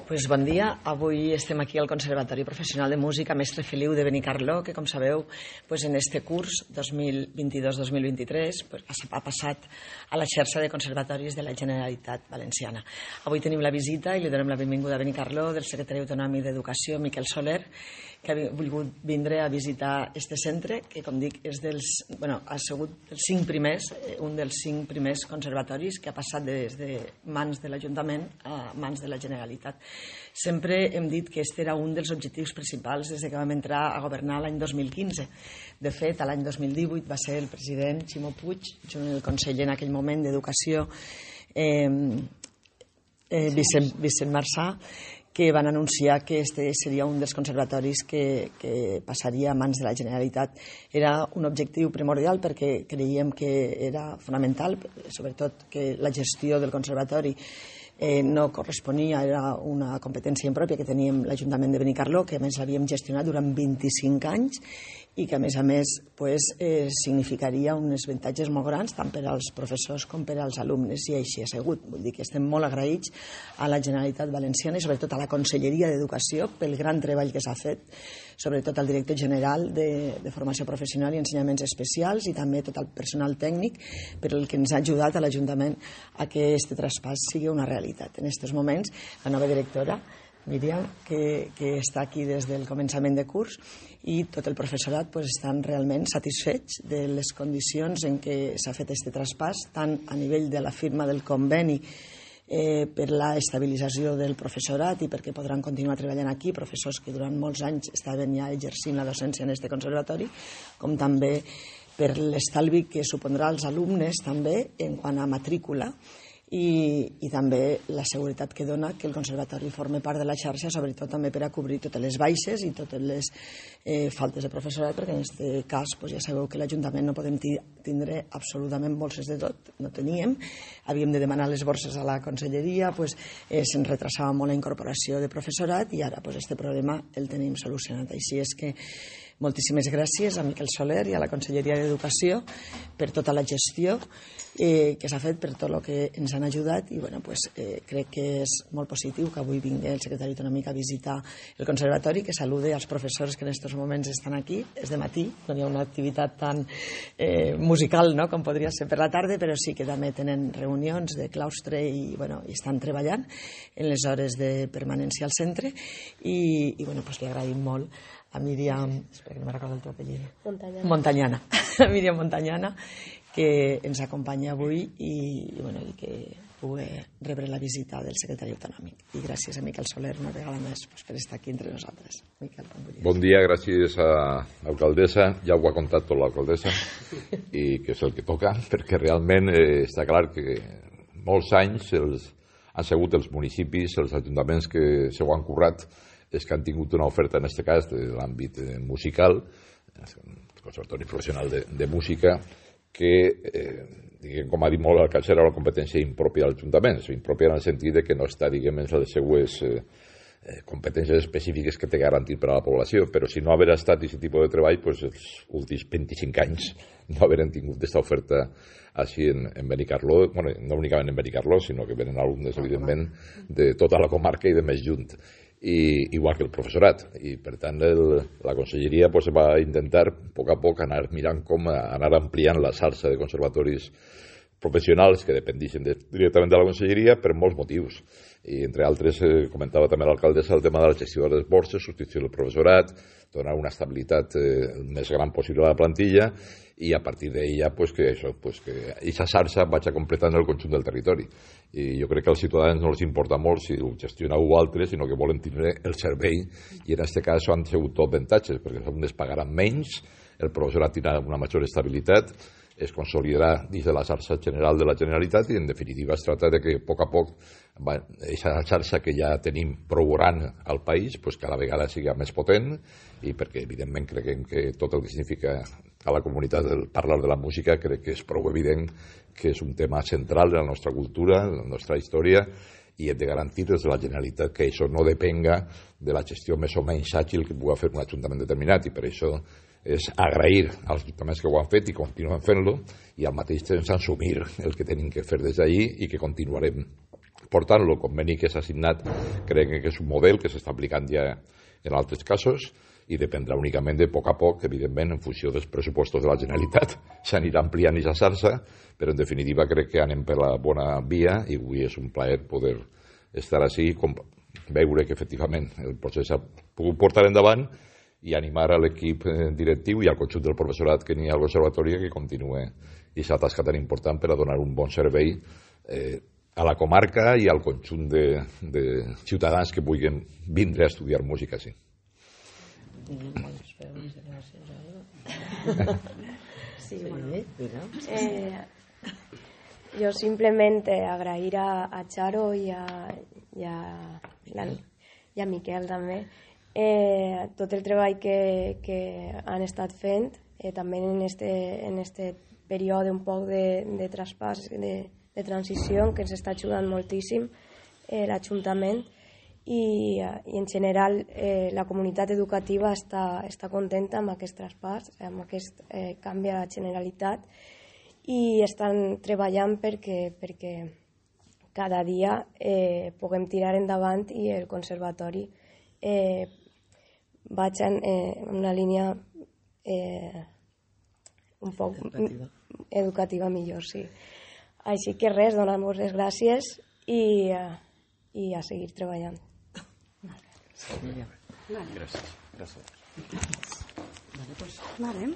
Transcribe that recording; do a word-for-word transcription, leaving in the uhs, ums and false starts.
Pues bon dia. Avui estem aquí al Conservatori Professional de Música Mestre Feliu de Benicarló, que, com sabeu, pues en este curs dos mil vint-i-dos dos mil vint-i-tres pues, ha passat a la xarxa de conservatoris de la Generalitat Valenciana. Avui tenim la visita i li donem la benvinguda a Benicarló del secretari autonòmic d'Educació, Miquel Soler, que ha volgut vindre a visitar este centre, que, com dic, és dels, bueno, ha sigut dels cinc primers, un dels cinc primers conservatoris que ha passat des de mans de l'Ajuntament a mans de la Generalitat. Sempre hem dit que aquest era un dels objectius principals des que vam entrar a governar l'any dos mil quinze. De fet, l'any dos mil divuit va ser el president Ximo Puig, junt amb el conseller en aquell moment d'Educació, eh, eh, Vicent, Vicent Marçà, que van anunciar que este seria un dels conservatoris que, que passaria a mans de la Generalitat. Era un objectiu primordial perquè creiem que era fonamental, sobretot que la gestió del conservatori eh, no corresponia, era una competència impròpia que teníem l'Ajuntament de Benicarló, que a més l'havíem gestionat durant vint-i-cinc anys i que a més a més pues, eh, significaria uns avantatges molt grans tant per als professors com per als alumnes, i així ha sigut. Vull dir que estem molt agraïts a la Generalitat Valenciana i sobretot a la Conselleria d'Educació pel gran treball que s'ha fet, sobretot al director general de, de Formació Professional i Ensenyaments Especials i també tot el personal tècnic, per el que ens ha ajudat a l'Ajuntament a que aquest traspàs sigui una realitat. En aquests moments, la nova directora, Míriam, que, que està aquí des del començament de curs, i tot el professorat pues, estan realment satisfets de les condicions en què s'ha fet aquest traspàs, tant a nivell de la firma del conveni eh, per la estabilització del professorat i perquè podran continuar treballant aquí, professors que durant molts anys estaven ja exercint la docència en aquest conservatori, com també per l'estalvi que supondrà als alumnes també en quant a matrícula, I, i també la seguretat que dona que el conservatori formi part de la xarxa, sobretot també per a cobrir totes les baixes i totes les eh, faltes de professorat, perquè en aquest cas pues, ja sabeu que l'Ajuntament no podem tindre absolutament borses de tot, no teníem, havíem de demanar les borses a la conselleria, pues, eh, se'n retrasava molt la incorporació de professorat i ara pues, este problema el tenim solucionat. Així és que moltíssimes gràcies a Miquel Soler i a la Conselleria d'Educació per tota la gestió eh, que s'ha fet, per tot el que ens han ajudat i bueno, pues, eh, crec que és molt positiu que avui vingui el secretari autonòmic a visitar el conservatori, que salude als professors que en aquests moments estan aquí. És de matí, no hi ha una activitat tan eh, musical no, com podria ser per la tarda, però sí que també tenen reunions de claustre i, bueno, i estan treballant en les hores de permanència al centre i, i bueno, pues, li agraïm molt a Míriam, espera que no me recordo el teu apellido, Montañana, Montañana. a Míriam Montañana, que ens acompanya avui i, i, bueno, i que pugui rebre la visita del secretari autonòmic. I gràcies a Miquel Soler una vegada més pues, per estar aquí entre nosaltres. Miquel, bon dia, gràcies a l'alcaldessa, ja ho ha contat tot l'alcaldessa, i que és el que toca, perquè realment eh, està clar que molts anys els, han sigut els municipis, els ajuntaments que se ho han currat, és que han tingut una oferta, en aquest cas, de l'àmbit musical, el Conservatori Professional de, de Música, que, eh, diguem, com ha dit molt l'alcalde, era una competència impròpia de l'Ajuntament, impròpia en el sentit de que no està, diguem, en les seues eh, competències específiques que té garantit per a la població, però si no haver estat aquest tipus de treball, pues, els últims vint-i-cinc anys no haver tingut aquesta oferta així en, en Benicarló, bueno, no únicament en Benicarló, sinó que venen alumnes, evidentment, de tota la comarca i de més junt. I, igual que el professorat, i per tant el, la conselleria pues, va intentar a poc a poc anar mirant com anar ampliant la xarxa de conservatoris professionals que dependixen de, directament de la conselleria per molts motius, i entre altres eh, comentava també l'alcaldessa el tema de la gestió de les borses, substitució del professorat, donar una estabilitat eh, més gran possible a la plantilla i a partir d'ella pues, que això, pues, que aquesta xarxa vagi completant el conjunt del territori. I jo crec que als ciutadans no els importa molt si ho gestiona u altre, sinó que volen tindre el servei, i en aquest cas han sigut tot avantatges, perquè els alumnes pagaran menys, el professorat tindrà una major estabilitat, es consolidarà dins de la xarxa general de la Generalitat i, en definitiva, es tracta de que a poc a poc aquesta xarxa que ja tenim prou gran al país pues, cada vegada sigui més potent, i perquè, evidentment, creiem que tot el que significa a la comunitat el parlar de la música crec que és prou evident que és un tema central de la nostra cultura, de la nostra història, i hem de garantir des de la Generalitat que això no depenga de la gestió més o menys àgil que pugui fer un ajuntament determinat, i per això és agrair als ajuntaments que ho han fet i continuen fent-lo, i al mateix temps assumir el que tenim que fer des d'allí i que continuarem Per tant, el conveni que s'ha signat crec que és un model que s'està aplicant ja en altres casos i dependrà únicament de poc a poc, evidentment, en funció dels pressupostos de la Generalitat. S'anirà ampliant i xarxa, però en definitiva crec que anem per la bona via i avui és un plaer poder estar així, veure que efectivament el procés s'ha pogut portar endavant i animar a l'equip directiu i al conjunt del professorat que n'hi ha al conservatori que continue aquesta tasca tan important per a donar un bon servei eh, a la comarca i al conjunt de, de ciutadans que vulguin vindre a estudiar música així. Sí, bueno. Eh, yo simplemente agrair a, a Charo y a, y a, la, y a Miquel també eh, tot el treball que, que han estat fent eh, també en este, en este període un poc de, de traspàs, de, de transició que ens està ajudant moltíssim eh, l'Ajuntament i, i en general eh, la comunitat educativa està, està contenta amb aquest traspàs, amb aquest eh, canvi a la Generalitat i estan treballant perquè, perquè cada dia eh, puguem tirar endavant i el conservatori eh, vagi en eh, una línia eh, un poc educativa. educativa millor, sí. Així que res, donar-vos les gràcies i, uh, i a seguir treballant. Vale. Gràcies. Gràcies. Vale, pues, vale.